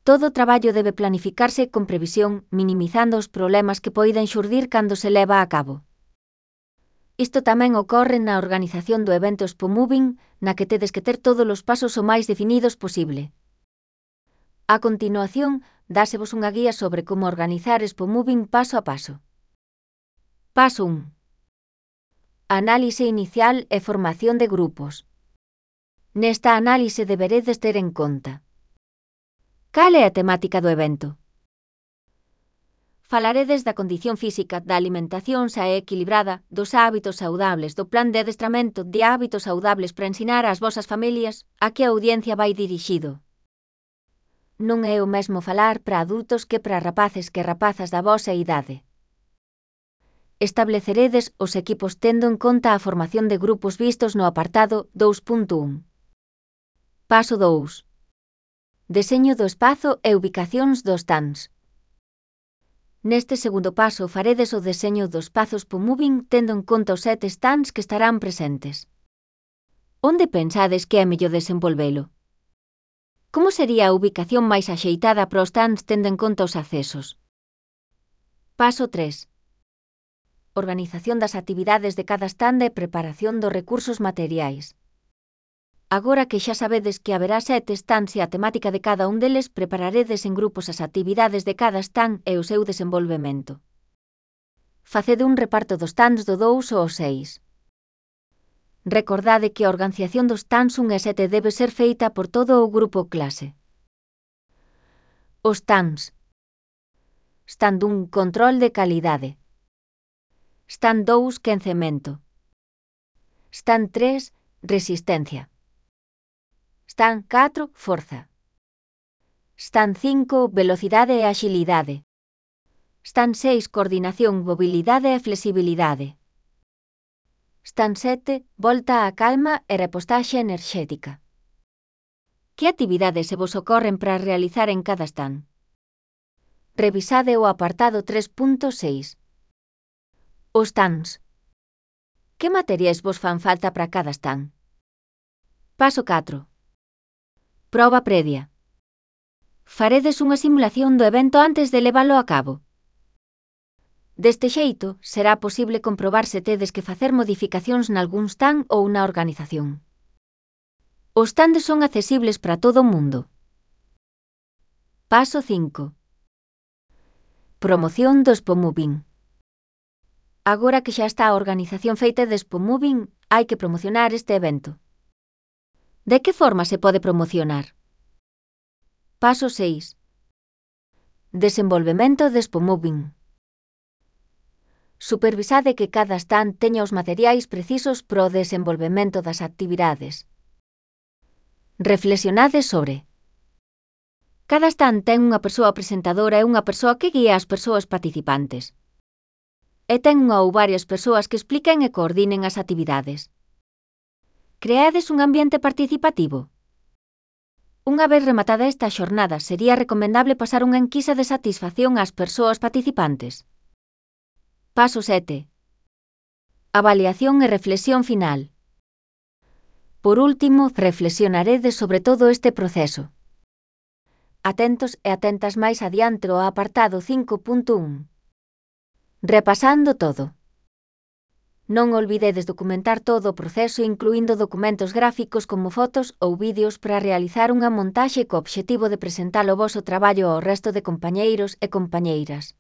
Todo o traballo debe planificarse con previsión, minimizando os problemas que poiden xurdir cando se leva a cabo. Isto tamén ocorre na organización do evento Expo Moving, na que tedes que ter todos os pasos o máis definidos posible. A continuación, dásevos unha guía sobre como organizar Expo Moving paso a paso. Paso 1. Análise inicial e formación de grupos. Nesta análise deberedes ter en conta: cal é a temática do evento? Falaredes da condición física, da alimentación xa e equilibrada, dos hábitos saudables, do plan de adestramento de hábitos saudables para ensinar ás vosas familias, a que a audiencia vai dirixido. Non é o mesmo falar para adultos que para rapaces que rapazas da vosa idade. Estableceredes os equipos tendo en conta a formación de grupos vistos no apartado 2.1. Paso 2. Deseño do espazo e ubicacións dos stands. Neste segundo paso faredes o deseño dos espazos Expo Moving tendo en conta os 7 stands que estarán presentes. Onde pensades que é mellor desenvolvelo? Como sería a ubicación máis axeitada para os stands tendo en conta os accesos? Paso 3. Organización das actividades de cada stand e preparación dos recursos materiais. Agora que xa sabedes que haberá 7 stands e a temática de cada un deles, prepararedes en grupos as actividades de cada stand e o seu desenvolvemento. Facede un reparto dos stands do 2 ao 6. Recordade que a organización dos stands 1 e 7 debe ser feita por todo o grupo clase. Os stands. Stand 1, control de calidade. Stand 2, quencemento. Stand 3, resistencia. Stand 4, forza. Stand 5, velocidade e axilidade. Stand 6, coordinación, mobilidade e flexibilidade. Stand 7, volta á calma e repostaxe enerxética. Que actividades se vos ocorren para realizar en cada stand? Revisade o apartado 3.6. Os stands. Que materiais vos fan falta para cada stand? Paso 4. Proba previa. Faredes unha simulación do evento antes de leválo a cabo. Deste xeito, será posible comprobar se tedes que facer modificacións nalgún stand ou na organización. Os stands son accesibles para todo o mundo. Paso 5. Promoción do Expo Moving. Agora que xa está a organización feita de Expo Moving, hai que promocionar este evento. De que forma se pode promocionar? Paso 6. Desenvolvemento de Expo Moving. Supervisade que cada stand teña os materiais precisos para o desenvolvemento das actividades. Reflexionade sobre. Cada stand ten unha persoa presentadora e unha persoa que guía as persoas participantes. E ten unha ou varias persoas que expliquen e coordinen as actividades. Creades un ambiente participativo. Unha vez rematada esta xornada, sería recomendable pasar unha enquisa de satisfacción ás persoas participantes. Paso 7. Avaliación e reflexión final. Por último, reflexionaredes sobre todo este proceso. Atentos e atentas máis adiante ao apartado 5.1. Repasando todo. Non olvidedes documentar todo o proceso incluindo documentos gráficos como fotos ou vídeos para realizar unha montaxe co obxectivo de presentar o voso traballo ao resto de compañeiros e compañeiras.